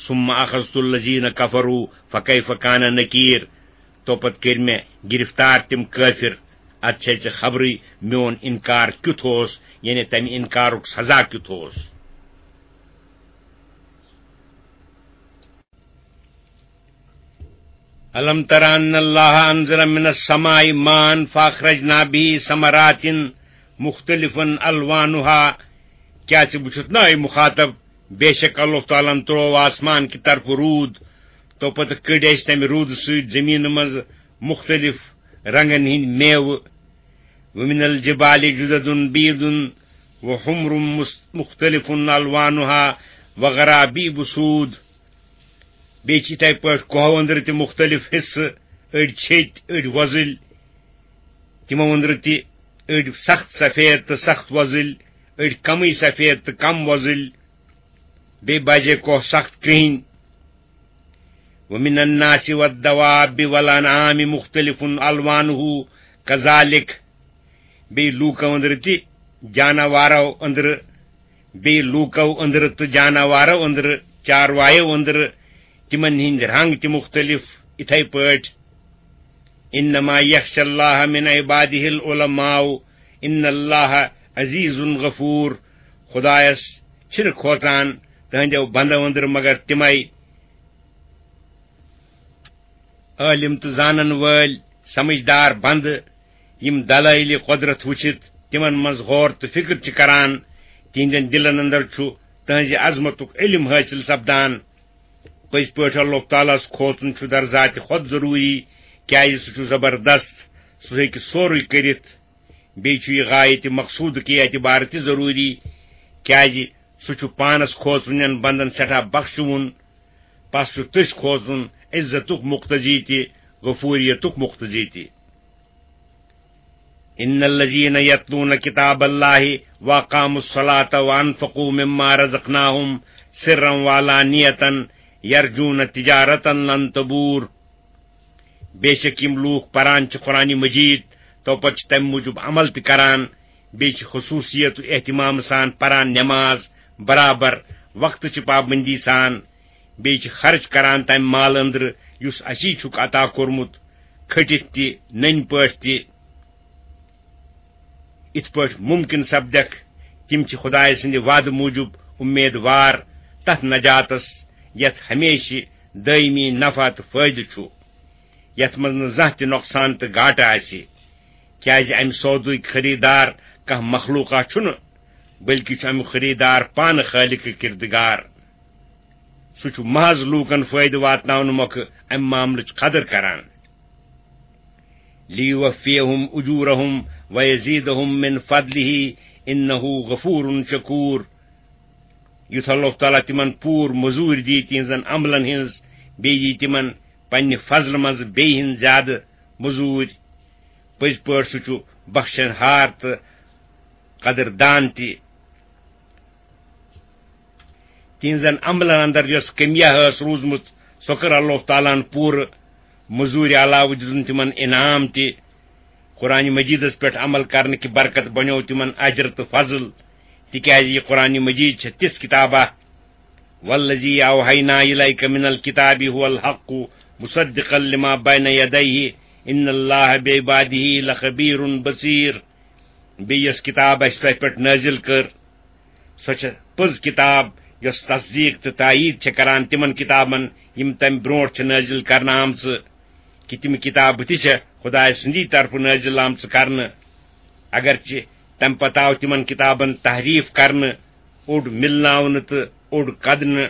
ثم اخذت الذين كفروا فكيف كان نكير۔ تو پتہٕ کٔرۍ مےٚ گرفتار تِم کٲفر۔ ادٕ چھے ژےٚ خبرٕے میون انکار کیُتھ اوس، یعنی تمہِ انکارُک سزا کیُتھ اوس۔ الم تر ان اللہ انزل من السماء ماء فاخرجنا به ثمرات مختلفا الوانها۔ کیا ژٕ وٕچھُتھ نا، اے مخاطب؟ بے شک اللہ تعالیٰ ہن تروو آسمان کہِ طرفہٕ روٗد، تو پتہٕ کٔڑۍ اَسہِ تمہِ روٗدٕ سۭتۍ زٔمیٖنہٕ منٛز مُختٔلِف رنٛگن ہٕنٛدۍ میوٕ۔ وَمِنَ الْجِبَالِ جُدَدٌ بِيضٌ وَحُمْرٌ مُس-، مُخْتَلِفٌ أَلْوَانُهَا وَغَرَابِيبُ سُودٌ۔ بیٚیہِ چھِ یِتھَے پٲٹھۍ کۄہو أنٛدرٕ تہِ مُختٔلِف حِصہٕ، أڑۍ چھٔتۍ، أڑۍ وۄزٕلۍ، تِمو أنٛدرٕ تہِ أڑۍ سخت سفید تہٕ سخت وۄزٕلۍ، أڑۍ کمٕے سفید تہٕ کم وۄزٕلۍ، بیٚیہِ بجے کۄہ سخت کرٛہِنۍ۔ وَمِنَ النَّاسِ وَالدَّوَابِّ وَالْأَنْعَامِ مُخْتَلِفٌ أَلْوَانُهُ كَذَلِكَ۔ بیٚیہِ لوٗکو أنٛدرٕ تہِ جاناوارو أنٛدرٕ، بیٚیہِ لوٗکو أنٛدرٕ تہٕ جاناوارو أنٛدرٕ، چاروایو أنٛدرٕ، تِمن ہٕنٛدۍ رنٛگ تہِ مُختٔلِف، یِتھَے پٲٹھۍ۔ إِنَّمَا يَخْشَى اللَّهَ مِنْ عِبَادِهِ الْعُلَمَاءُ إِنَّ اللَّهَ عَزِيزٌ غَفُورٌ۔ خۄدایس چھِنہٕ کھوژان تٕہٕنٛدیو بنٛدو أنٛدرٕ مگر تِمَے عٲلِم تہٕ زانن وٲلۍ، سمجھدار بنٛدٕ، یِم دلٲیلِ قۄدرت وٕچھِتھ تِمن منٛز غور تہٕ فِکر چھِ کران، تِہنٛدٮ۪ن دِلن اندر چھُ تٕہٕنٛزِ عظمتُک علم حٲصِل سپدان۔ پٔزۍ پٲٹھۍ اللہ تعالیٰ ہس کھوژُن چھُ در ذاتِ خۄد ضروٗری، کیازِ سُہ چھُ زبردست، سُہ ہیٚکہِ سورُے کٔرِتھ۔ بیٚیہِ چھُ یہِ غایتِ مقصوٗدٕ کہِ اعتبارٕ تہِ ضروٗری، کیازِ سُہ چھُ پانس کھوژوٕنٮ۪ن بندن سٮ۪ٹھاہ بخشوُن۔ پس چھُ تٔسۍ کھوژُن عزتُک مقتضی تہِ، غفوریتُک مقتضی تہِ۔ إِنَّ الَّذِينَ يَتْلُونَ كِتَابَ اللَّهِ وَأَقَامُوا الصَّلَاةَ وَأَنْفَقُوا مِمَّا رَزَقْنَاهُمْ سِرًّا وَعَلَانِيَةً يَرْجُونَ تِجَارَةً لَنْ تَبُورَ۔ بے شک یِم لوٗکھ پران چھِ قرآنِ مجیٖد، تو پتہٕ چھِ تَمہِ موٗجوٗب عمل تہِ کران، بیٚیہِ چھِ خصوٗصیت و اہتمام سان پران نٮ۪ماز، برابر وقتہٕ چہِ پابندی سان، بیٚیہِ چھِ خرٕچ کران تَمہِ مال أنٛدرٕ یُس اَسی چھُکھ عطا کوٚرمُت، کھٔٹِتھ تہِ، نٔنۍ پٲٹھۍ تہِ۔ یِتھ پٲٹھۍ مُمکِن سپدٮ۪کھ، تِم چھِ خۄدایہِ سٕنٛدِ وعدٕ موٗجوٗب اُمیدوار تَتھ نجاتس، یَتھ ہمیشہِ دٲیمی نفع تہٕ فٲیدٕ چھُ، یَتھ منٛز نہٕ زانٛہہ تہِ نۄقصان تہٕ گاٹہٕ آسہِ، کیازِ اَمہِ سودُک خریٖدار کانٛہہ مخلوقا چھُنہٕ، بلکہِ چھُ اَمیُک خریٖدار پانہٕ خٲلقِ کردگار۔ سُہ چھُ محض لوٗکن فٲیدٕ واتناونہٕ مۄکھٕ اَمہِ معاملٕچ قدر کران۔ لِیُوَفِّیَہُمْ أُجُورَہُمْ وَیَزِیدَہُمْ مِنْ فَضْلِہِ إِنَّہُ غَفُورٌ شَکُور۔ یُتھ اللہ تعالیٰ تِمن پوٗرٕ مٔزوٗرۍ دِیہِ تِہنٛزن عملن ہٕنٛز، بیٚیہِ یِیہِ تِمن پننہِ فضلہٕ منٛزٕ بیٚیہِ ہٕنٛز زیادٕ مٔزوٗرۍ۔ پٔزۍ پٲٹھۍ سُہ چھُ بخشن ہار تہٕ قدر دان تہِ۔ تِہنٛزن عملن اندر یۄس کٔمیا ٲس روٗزمٕژ، سۄ کٔر اللہ تعالیٰ ہن پوٗرٕ۔ مٔزوٗرِ علاوٕ دِتُن تِمن انعام تہِ۔ قرآنِ مجیدس پٮ۪ٹھ عمل کرنہٕ کہِ برکت بنیو تِمن اجر تہٕ فضل، تِکیازِ یہِ قرآنِ مجید چھےٚ تِژھ کتابہ، والذی اوحینا الیک من الکتاب هو الحق مصدقا لما بین یدیہ ان اللہ بعبادہ لخبیر بصیر۔ بیٚیہِ یۄس کتاب اَسہِ تۄہہِ پٮ۪ٹھ نٲزِل کٔر، سۄ چھےٚ پٔز کتاب، یۄس تصدیٖق تہٕ تایید چھےٚ کران تِمن کتابن، یِم تَمہِ برونٛٹھ چھِ نٲزِل کرنہٕ آمژٕ، کہِ تِم کتابہٕ تہِ چھےٚ خۄداے سٕنٛدی طرفہٕ نٲزِل آمژٕ کرنہٕ۔ اگرچہِ تَمہِ پتہٕ آو تِمن کتابن تحریف کرنہٕ، اوٚڑ مِلناونہٕ تہٕ اوٚڑ کدنہٕ۔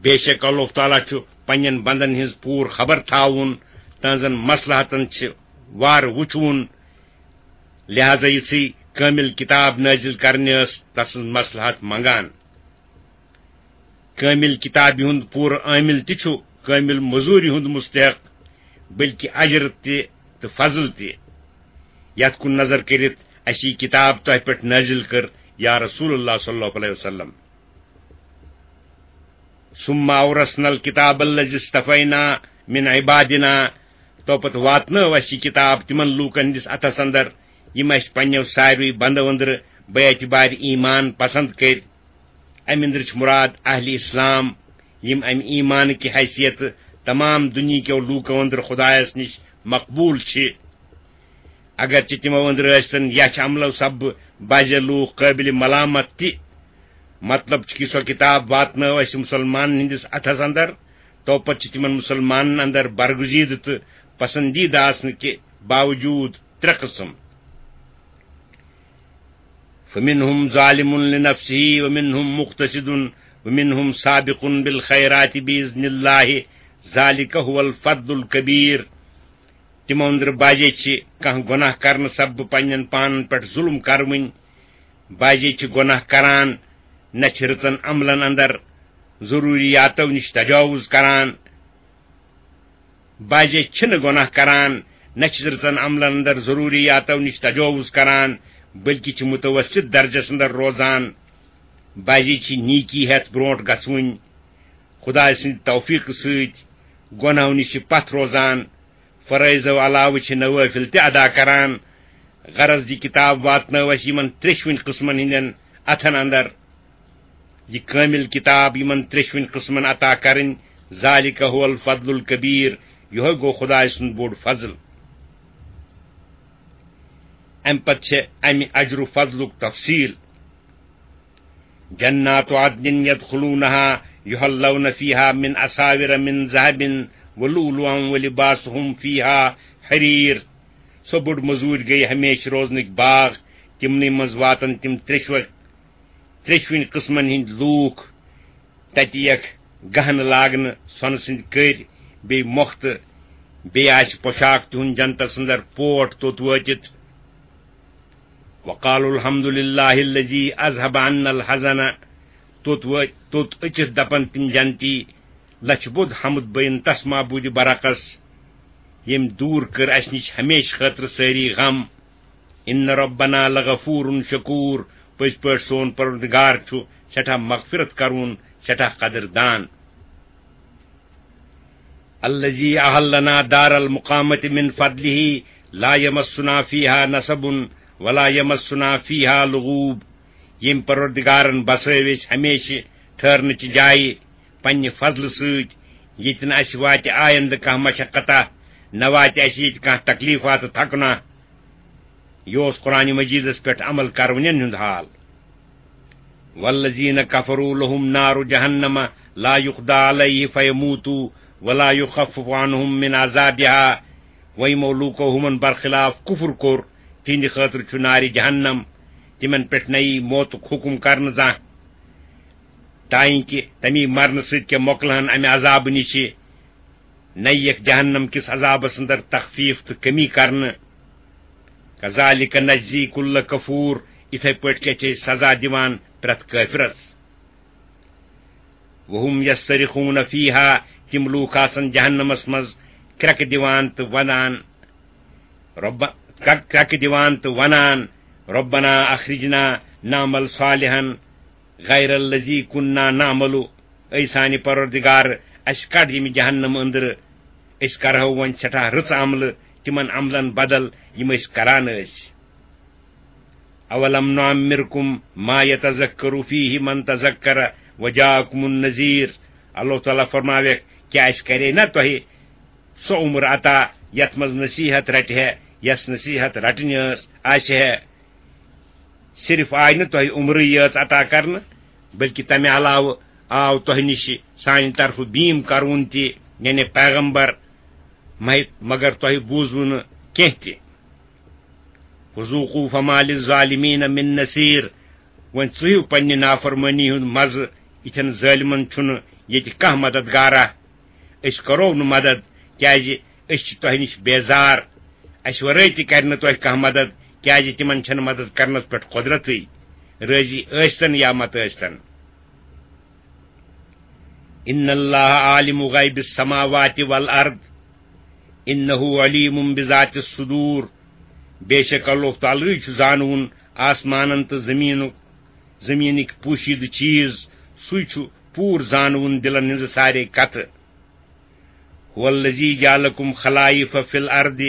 بے شک اللہ تعالیٰ چھُ پننٮ۪ن بندن ہٕنٛز پوٗرٕ خبر تھاوُن، تہنٛزن مصلحتن چھِ وارٕ وُچھوُن، لہذا یِژھٕے کٲمِل کتاب نٲزِل کرنہِ ٲس تسٕنٛز مصلحت منگان۔ کٲمِل کتابہِ ہُنٛد پوٗرٕ عٲمِل تہِ چھُ کٲمِل مٔزوٗرِ ہُنٛد مستحق، بلکہِ اجر تہِ تہٕ فضل تہِ۔ یتھ کُن نظر کٔرِتھ اسہِ یہِ کتاب تۄہہِ پٮ۪ٹھ نٲزِل کٔر، یا رسول اللہ صلی اللہ علیہ وسلم۔ ثم اورثنا الكتاب الذي اصطفينا من عبادنا، تو پتہٕ واتنٲو اسہِ یہِ کتاب تِمن لوٗکن ہٕنٛدِس اتھس اندر، یِم اسہِ پننیو ساروٕے بندو أنٛدرٕ بے اعتبارِ ایمان پسند کٔرۍ۔ امہِ أنٛدرٕ چھِ مراد اہلِ اسلام، یِم امہِ ایمانٕکہِ حیثیت تمام دُنیہکیو لوٗکو أنٛدرٕ خۄدایس نِش مقبوٗل چھِ۔ اگرچہِ تِمو أنٛدرٕ ٲسۍتن یچھ عملو سببہٕ بعضے لوٗکھ قٲبلِ ملامت تہِ، مطلب چھُ کہِ سۄ کتاب واتنٲو اسہِ مسلمانن ہٕنٛدِس اتھس اندر، تو پتہٕ چھِ تِمن مسلمانن اندر برگزیدٕ تہٕ پسندیدٕ آسنہٕ کہِ باوجوٗد ترٛےٚ قٕسم۔ فمنهم ظالم لنفسه ومنهم مقتصد ومنهم سابق بالخيرات بإذن الله ذلك هو الفضل الكبير۔ تِمو أنٛدرٕ بعضے چھِ کانٛہہ گۄناہ کرنہٕ سببہٕ پننٮ۪ن پانن پٮ۪ٹھ ظلم کروٕنۍ، بعضے چھِ گۄناہ کران، نہ چھِ رٕژن عملن اندر ضروٗریاتو نِش تجاوز کران۔ بعضے چھِنہٕ گۄناہ کران، نہ چھِ رٕژن عملن اندر ضروٗریاتو نِش تجاوز کران، بلکہِ چھِ متوسط درجس اندر روزان۔ بعضے چھِ نیکی ہٮ۪تھ برونٛٹھ گژھوٕنۍ، خدایہِ سٕنٛدِ توفیقہٕ سۭتۍ گۄناہو نِش چھِ پتھ روزان۔ فرٲیضو علاوٕ چھِ نوٲفِل تہِ ادا کران۔ غرض، یہِ کتاب واتنٲو اسہِ یِمن تریٚشوٕنۍ قٕسمن ہٕنٛدٮ۪ن اتھن اندر۔ یہِ کٲمِل کتاب یِمن تریٚشوٕنۍ قٕسمن عطا کرٕنۍ، ذالک هو الفضل الکبیر، یِہوٚے گوٚو خدایہِ سُنٛد بوٚڑ فضل۔ امہِ پتہٕ چھےٚ امہِ اجر و فضلُک تفصیل۔ جنات عدن يدخلونها يحلون فيها من أساور من ذهب ولؤلؤا ولباسهم فيها حرير۔ سۄ بٔڑ مٔزوٗرۍ گٔیہِ ہمیشہٕ روزنٕکۍ باغ، تِمنٕے منٛز واتن تِم تریٚشوَے، تریٚشوٕنۍ قٕسمن ہٕنٛدۍ لوٗکھ۔ تتہِ یِیَکھ گہنہٕ لاگنہٕ، سۄنہٕ سٕنٛدۍ کٔرۍ، بیٚیہِ مۄختہٕ، بیٚیہِ آسہِ پۄشاک تِہُنٛد جنتس اندر پوٹھ توٚت وٲتِتھ۔ وقالوا الحمد لله الذي أذهب عنا الحزن۔ توٚت وٲتۍ، توٚت أژِتھ دپن تِم جنتی، لچھِ بوٚد حمد بین تس معبودِ برحقس، ییٚمۍ دوٗر کٔر اسہِ نِش ہمیشہٕ خٲطرٕ سٲری غم۔ ان ربنا لغفور شکور، پٔزۍ پٲٹھۍ سون پروردگار چھُ سٮ۪ٹھاہ مغفرت کرون، سٮ۪ٹھاہ قدردان۔ الذي أحلنا دار المقامة من فضله لا يمسنا فيها نصب ولا يمسنا فيها لغوب۔ ییٚمۍ پروردگارن بسٲوۍ أسۍ ہمیشہٕ ٹھہرنٕچہِ جایہِ پننہِ فضلہٕ سۭتۍ، ییٚتہِ نہٕ اسہِ واتہِ آیندٕ کانٛہہ مشقتہ، نہ واتہِ اسہِ ییٚتہِ کانٛہہ تکلیفہ تہٕ تھکنہ۔ یہِ اوس قرآن مجیدس پٮ۪ٹھ عمل کرونٮ۪ن ہُنٛد حال۔ والذین کفروا لهم نار جہنم لا یقضی علیہ فیموتوا ولا یخفف عنهم من عذابها۔ وۄنۍ یِمو لوٗکو ہُمن برخلاف کفر کوٚر، تِہنٛدِ خٲطرٕ چھُ نارِ جہنم، تِمن پٮ۪ٹھ نہ یی موتُک حکم کرنہٕ زانٛہہ، تانۍ کہِ تمی مرنہٕ سۭتۍ کیٛاہ مۄکلہن امہِ عذابہٕ نِشہِ۔ نہ یِیَکھ جہنم کِس عذابس اندر تخفیف تہٕ کمی کرنہٕ۔ کذالک نجزی کل کفور، یِتھے پٲٹھۍ کیٛاہ چھِ أسۍ سزا دِوان پرٛٮ۪تھ کٲفرس۔ وہم یصطرخون فیہا، تِم لوٗکھ آسن جہنمس منٛز کرٛٮ۪کہٕ دِوان تہٕ ونان، رب-، کرٛ-، کرٛٮ۪کہٕ دِوان تہٕ ونان، ربنا اخرجنا نعمل صالحا غیر الذی کنا نعمل، اے سانہِ پروردگار، اسہِ کڑ ییٚمہِ جہنم أنٛدرٕ، أسۍ کرہو وۄنۍ سٮ۪ٹھاہ رٕژ عملہٕ تِمن عملن بدل یِم أسۍ کران ٲسۍ۔ اولم نعمرکم ما یتذکر فیہ من تذکر وجاءکم النذیر۔ اللہ تعالیٰ فرماویکھ، کیٛاہ اسہِ کرے نہ تۄہہِ سۄ عمر عطا یتھ منٛز نصیحت رٹہِ ہے، یس نصیحت رٹنہِ ٲس؟ آسہِ ہے، صرف آیہِ نہٕ تۄہہِ عمرٕے یٲژ عطا کرنہٕ، بلکہِ تمہِ علاوٕ آو تۄہہِ نِش سانہِ طرفہٕ بیٖم کرُن تہِ، یعنی پیغمبر، مہ-، مگر تۄہہِ بوٗزوٕ نہٕ کینٛہہ تہِ۔ وذوقوا فما للظالمین من نصیر۔ وۄنۍ ژٕہِو پننہِ نافرمٲنی ہُنٛد مزٕ، یِتھٮ۪ن ظٲلمن چھُنہٕ ییٚتہِ کانٛہہ مددگارا۔ أسۍ کرو نہٕ مدد، کیازِ أسۍ چھِ تۄہہِ نِش بیزار۔ اسہِ ورٲے تہِ کرِ نہٕ تۄہہِ کانٛہہ مدد، کیازِ تِمن چھنہٕ مدد کرنس پٮ۪ٹھ قۄدرتٕے، رٲضی ٲسۍتن یا مت ٲسۍتن۔ ان اللہ عالم غیب السماوات والارض انہ علیم بذات الصدور۔ بے شک اللہ تعالیٰ چھُ زانوُن آسمانن تہٕ زمینُک، زمینٕکۍ پوشیدٕ چیز۔ سُے چھُ پوٗرٕ زانوُن دِلن ہٕنٛزٕ سارے کتھٕ۔ هو الذی جعلکم خلائف فی الارض۔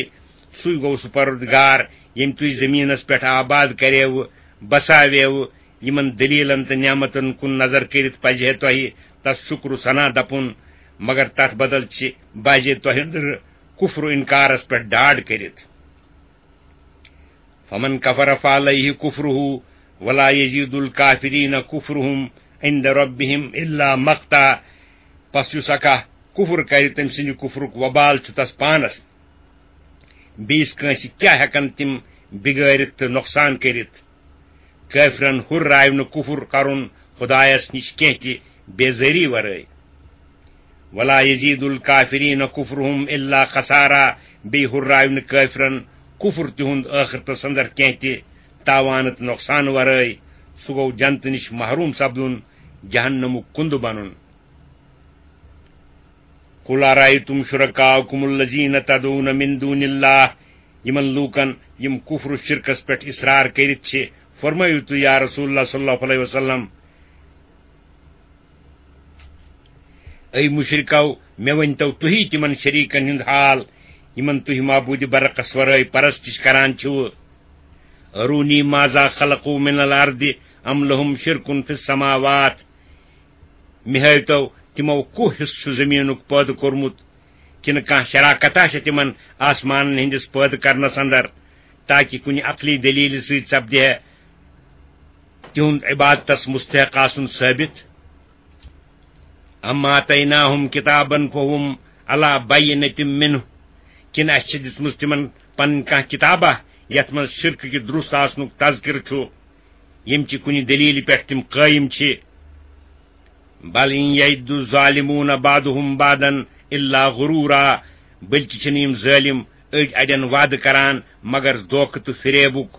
سُے گوٚو سُہ پروردگار، ییٚمۍ تُہۍ زمینس پٮ۪ٹھ آباد کریوٕ، بساویوٕ۔ یِمن دلیلن تہٕ نعمتن کُن نظر کٔرِتھ پزِ ہے تۄہہِ تس شکر و ثنا دپُن، مگر تتھ بدل چھِ بازے تۄہہِ أنٛدرٕ کفر و انکارس پٮ۪ٹھ ڈاڈ کٔرِتھ۔ فمن کفر فعلیہ کفرہ ولا یزید الکافرین کفرہم عند ربہم الا مقتا۔ پس یُس اکھا کفر کرِ، تٔمۍ سٕنٛدِ کفرُک وبال چھُ تس پانس۔ بیٚیِس کٲنٛسہِ کیٛاہ ہٮ۪کن تِم بِگٲرِتھ تہٕ نۄقصان کٔرِتھ؟ کٲفرن ہُرراوِ نہٕ کُفر کرُن خدایس نِش کینٛہہ تہِ بیزٲری ورٲے۔ ولا یزید الکافرین کفرہم الا خسارا۔ بیٚیہِ ہُرراوِ نہٕ کٲفرن کُفر تِہُنٛد ٲخرتس اندر کینٛہہ تہِ تاوانہٕ تہٕ نۄقصان ورٲے۔ سُہ گوٚو جنتہٕ نِش محروم سپدُن، جہنمُک کُندٕ بنُن۔ قل ارأیتم شرکاءکم الذین تدعون من دون اللہ۔ یِمن لوٗکن یِم کفر و شرکس پٮ۪ٹھ اصرار کٔرِتھ چھِ، فرمٲیِو تُہۍ یا رسول اللہ صلی اللہ علیہ وسلم، اے مشرکو، مےٚ ؤنۍتو تُہی تِمن شریٖکن ہُنٛد حال، یِمن تُہۍ معبوٗدِ برحقس ورٲے پرستش کران چھِو۔ ارونی ماذا خلقوا من الارض ام لہم شرک فی السماوات۔ مےٚ ہٲوۍتو تِمو کُس حصہٕ چھُ زٔمیٖنُک پٲدٕ کوٚرمُت، کِنہٕ کانٛہہ شراکتا چھےٚ تِمن آسمانن ہٕنٛدِس پٲدٕ کرنس اندر، تاکہ کُنہِ عقلی دلیلہِ سۭتۍ سپدِ ہے تِہُنٛد عبادتس مستحق آسُن ثٲبت؟ ام آتیناہم کتابا فہم علی بینۃ منہ، کِنہٕ اَسہِ چھِ دِژمٕژ تِمن پنٕنۍ کانٛہہ کتابہ یتھ منٛز شرکہٕ کہِ درست آسنُک تذکرٕ چھُ، ییٚمہِ چہِ کُنہِ دلیلہِ پٮ۪ٹھ تِم قٲیِم چھِ؟ بل ان یعد الظالمون بعضهم بعضا الا غرورا۔ بلکہ چھِنہٕ یِم ظٲلم أڑۍ اڑٮ۪ن وعدٕ کران مگر دھوکہٕ تہٕ فریبُک۔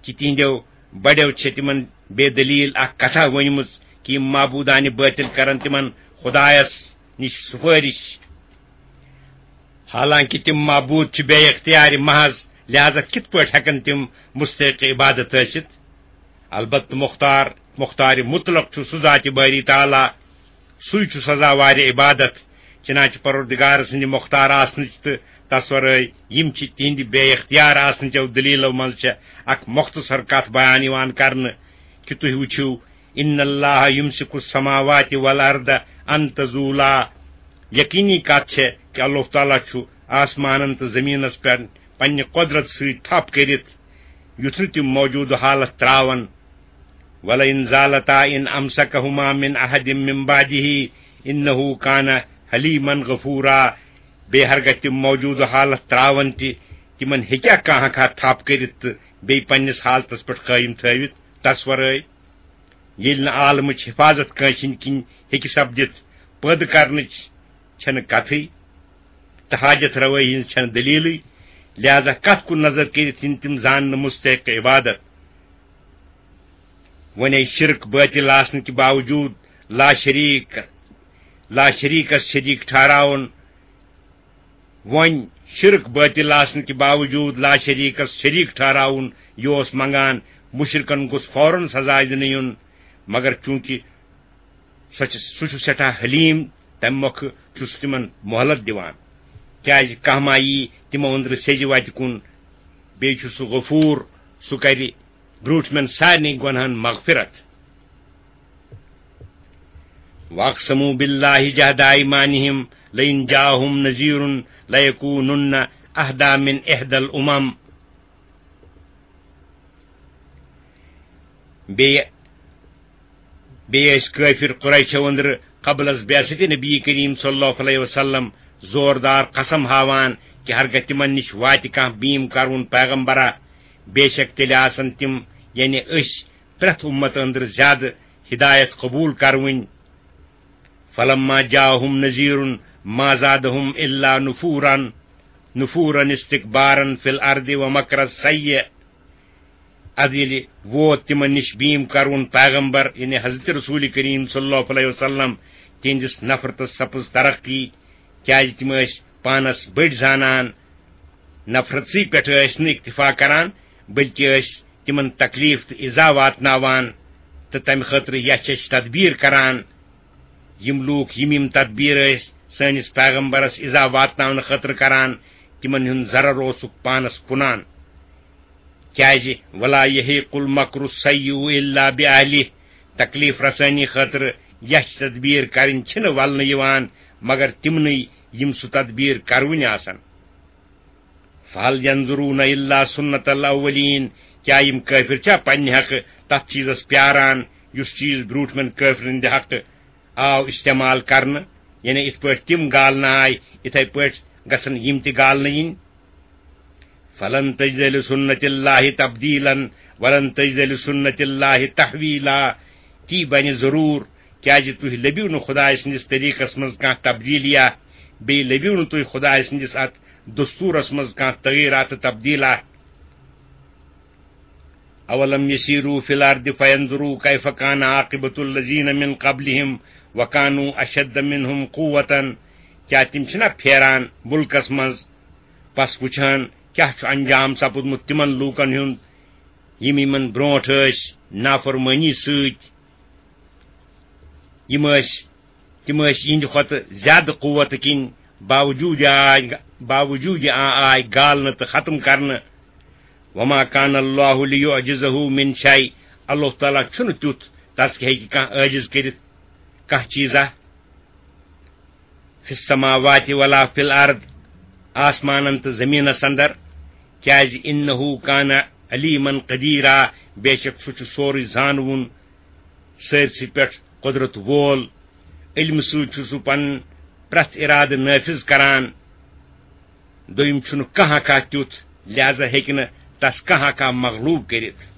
کہِ تِہنٛدیو بڑیو چھِ تِمن بے دلیل اکھ کتھا ؤنمٕژ کہِ یِم معبوٗدانہِ بٲطِل کرن تِمن خدایس نِش سُفٲرِش۔ حالانکہ تِم معبوٗد چھِ بے اختیار محض، لہذا کِتھ پٲٹھۍ ہٮ۪کن تِم مستحق عبادت ٲسِتھ؟ البتہ مختار، مختار مطلق چھُ سُہ ذاتِ باری تعالیٰ، سُے چھُ سزاوارِ عبادت۔ چنانچہ پروردگار سٕنٛدِ مختار آسنٕچ تہٕ تس ورٲے یِم چھِ تِہنٛدِ بے اختیار آسنٕچو دلیلو منٛز چھےٚ اکھ مختصر کتھ بیان یِوان کرنہٕ کہِ تُہۍ وٕچھِو، ان اللہ یمسک السماوات والارض ان تزولا۔ یقینی کتھ چھےٚ کہِ اللہ تعالیٰ چھُ آسمانن تہٕ زمینس پٮ۪ٹھ پننہِ قۄدرت سۭتۍ تھپھ کٔرِتھ یُتھ نہٕ تِم موجودٕ حالت ترٛاوَن۔ وَلَئِن زَالَتَا إِنْ أَمْسَكَهُمَا مِنْ أَحَدٍ مِنْ بَعْدِهِ إِنَّهُ كَانَ حَلِيمًا غَفُورًا۔ بیٚیہِ ہرگاہ تِم موجودٕ حالت ترٛاوَن تہِ، تِمَن ہیٚکیٛاہ کانٛہہ ہا تھپھ کٔرِتھ تہٕ بیٚیہِ پننِس حالتَس پٮ۪ٹھ قٲیِم تھٲوِتھ؟ تَس وَرٲے، ییٚلہِ نہٕ عالمٕچ حِفاظت کٲنٛسہِ ہٕنٛدِ کِنۍ ہیٚکہِ سپدِتھ، پٲدٕ کرنٕچ چھَنہٕ کتھٕے، تہٕ حاجت روٲیی ہٕنٛز چھَنہٕ دٔلیٖلٕے، لہذا کتھ کُن نظر کٔرِتھ یِن تِم زاننہٕ مستحق عبادت؟ وۄنۍ شرک باطل آسنہٕ کہِ باوجوٗد لا شریک، لا شریکس شریک ٹھہراوُن، وۄنۍ شرک باطل آسنہٕ کہِ باوجوٗد لا شریکس شریک ٹھہراوُن، یہِ اوس منگان، مشرکن گوٚژھ فوراً سزا دِنہٕ یُن، مگر چوٗنٛکہِ سۄ چھِ، سُہ چھُ سٮ۪ٹھاہ حلیٖم، تَمہِ مۄکھٕ چھُ سُہ تِمن مۄہلت دِوان، کیٛازِ کانٛہہ ما یی تِمو أنٛدرٕ سیٚزِ وتہِ کُن، بیٚیہِ چھُ سُہ غفوٗر، سُہ کرِ برٛوٗنٛٹھمٮ۪ن سارنٕے گۄنہن مغفرت۔ وَأَقْسَمُوا بِاللَّهِ جَهْدَ أَيْمَانِهِمْ لَئِنْ جَاءَهُمْ نَذِيرٌ لَيَكُونُنَّ أَهْدَىٰ مِنْ إِحْدَى الْأُمَمِ۔ بیٚیہِ بیٚیہِ ٲسۍ کٲفِر قریشو أنٛدرٕ قبل از بعثت نبی کریم صلی اللہ علیہ وسلم زوردار قسم ہاوان کہِ ہرگاہ تِمن نِش واتہِ کانٛہہ بیٖم کرون پیغمبرا، بے شک تیٚلہِ آسن تِم، یعنی أسۍ، پرٛٮ۪تھ اُمت أنٛدرٕ زیادٕ ہدایت قبول کرٕوٕنۍ۔ فلما جاءهم نذير ما زادهم الا نفورا، نفورا استكبارا في الارض ومكر السيء۔ ادٕ ییٚلہِ ووت تِمن نِش بیٖم کرون پیغمبر، یعنی حضرت رسول کریم صلی اللہ علیہ وسلم، تِہنٛدِس نفرتس سپٕز ترقی، کیازِ تِم ٲسۍ پانس بٔڑۍ زانان۔ نفرتسٕے پٮ۪ٹھ ٲسۍ نہٕ اکتفا کران، بلکہِ ٲسۍ تِمن تکلیف تہٕ ایذا واتناوان، تہٕ تمہِ خٲطرٕ یچھ یچھ تدبیر کران۔ یِم لوٗکھ یِم یِم تدبیر ٲسۍ سٲنِس پیغمبرس ایذا واتناونہٕ خٲطرٕ کران، تِمن ہُنٛد ضرر اوسُکھ پانس کُنان۔ کیازِ، ولا یحیق المکر السیئ الا باہلہ، تکلیف رسٲنی خٲطرٕ یچھ تدبیر کرٕنۍ چھِنہٕ ولنہٕ یِوان مگر تِمنٕے یِم سُہ تدبیر کرونۍ آسن۔ فہل ینظرون الا سنت الاولین، کیا یِم کٲفِر چھا پننہِ حقہٕ تتھ چیزس پیاران یُس چیز برونٹھمٮ۪ن کٲفرن ہٕنٛدِ حقہٕ آو استعمال کرنہٕ، یعنی یِتھ پٲٹھۍ تِم گالنہٕ آے، یِتھے پٲٹھۍ گژھن یِم تہِ گالنہٕ یِنۍ۔ فلن تجد لسنت اللہ تبدیلا ولن تجد لسنت اللہ تحویلا۔ تی بنہِ ضروٗر، کیازِ تُہۍ لٔبِو نہٕ خدایہِ سٕنٛدِس طریٖقس منٛز کانٛہہ تبدیلیہ، بیٚیہِ لٔبِو نہٕ تُہۍ خدایہِ سٕنٛدِس اتھ دستوٗرس منٛز کانٛہہ تغیٖرات تہٕ تبدیلہ۔ اولم یسیروا فی الارض فینظروا کیف کان عاقبۃ الذین من قبلہم وکانوا اشد منہم قوۃ۔ کیا تِم چھِنہ پھیران مُلکس منٛز، پس وٕچھان کیاہ چھُ انجام سپُدمُت تِمن لوٗکن ہُنٛد، یِم یِمن برونٛٹھ ٲسۍ نافرمٲنی سۭتۍ؟ یِم ٲسۍ، تِم ٲسۍ یِہنٛدِ کھۄتہٕ زیادٕ قوت کِنۍ باوجوٗد آے، باوجوٗد آ-، آے گالنہٕ تہٕ ختم کرنہٕ۔ وما کان اللہ لیعجزہ من شیء، اللہ تعالیٰ چھُنہٕ تیُتھ تس کہِ ہیٚکہِ کانٛہہ عٲجز کٔرِتھ کانٛہہ چیٖزا۔ فی السماوات ولا فی الارض، آسمانن تہٕ زمینس اندر، کیازِ انہ کان علیما قدیرا، بے شک سُہ چھُ سورُے زانوُن، سٲرسٕے پٮ۪ٹھ قدرت وول۔ علمہٕ سۭتۍ چھُ سُہ پنُن پرٛٮ۪تھ ارادٕ نافذ کران۔ دوٚیِم چھُنہٕ کانٛہہ ہٮ۪کان تیُتھ، لہذا ہیٚکہِ نہٕ تس کانٛہہ ہٮ۪کان مغلوب کٔرِتھ۔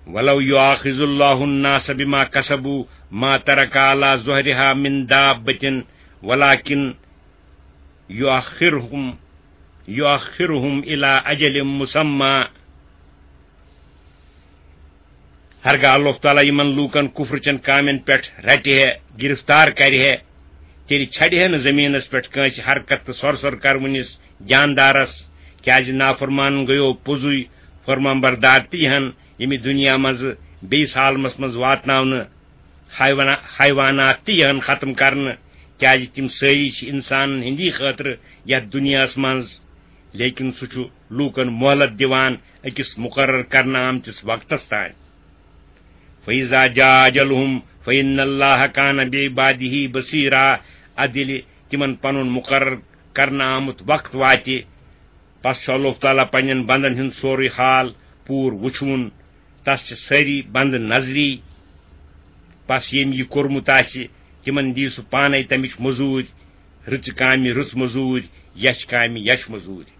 ولو یؤاخذ اللہ الناس بما کسبوا ما ترک علی ظہرها من دابۃ ولکن یؤخرهم، یؤخرهم الی اجل مسمی۔ ہرگاہ اللہ تعالیٰ یِمن لوٗکن کفر چٮ۪ن کامٮ۪ن پٮ۪ٹھ رٹہِ ہے، گرفتار کرِ ہے، تیٚلہِ چھڑِ ہے نہٕ زٔمیٖنس پٮ۪ٹھ کٲنٛسہِ حرکت تہٕ سۄر سۄر کرونِس جاندارس، کیازِ نافرمانن گٔیو پوٚزُے فرمان بردار تہِ یِہن ییٚمہِ دُنیا منٛزٕ بیٚیِس عالمس منٛز واتناونہٕ۔ حیوانا-، حیوانات تہِ یِہن ختم کرنہٕ، کیازِ تِم سٲری چھِ انسانن ہٕنٛدی خٲطرٕ یتھ دُنیاہس منٛز، لیکن سُہ چھُ لوٗکن مۄہلت دِوان أکِس مُقرر کرنہٕ آمتِس وقتس تام۔ فَإِذَا جَاءَ أَجَلُهُمْ فَإِنَّ اللَّهَ كَانَ بِعِبَادِهِ بَصِيرًا۔ ادٕ ییٚلہِ تِمن پنُن مُقرر کرنہٕ آمُت وقت واتہِ، پس چھُ اللہ تعالیٰ پننٮ۪ن بندن ہُنٛد سورُے حال پوٗرٕ وُچھوُن۔ تس چھِ سٲری بندٕ نظری۔ پس ییٚمۍ یہِ کوٚرمُت آسہِ، تِمن دِیہِ سُہ پانے تمِچ مٔزوٗرۍ، رٕژٕ کامہِ رٕژ مٔزوٗرۍ، یچھِ کامہِ یچھِ مٔزوٗرۍ۔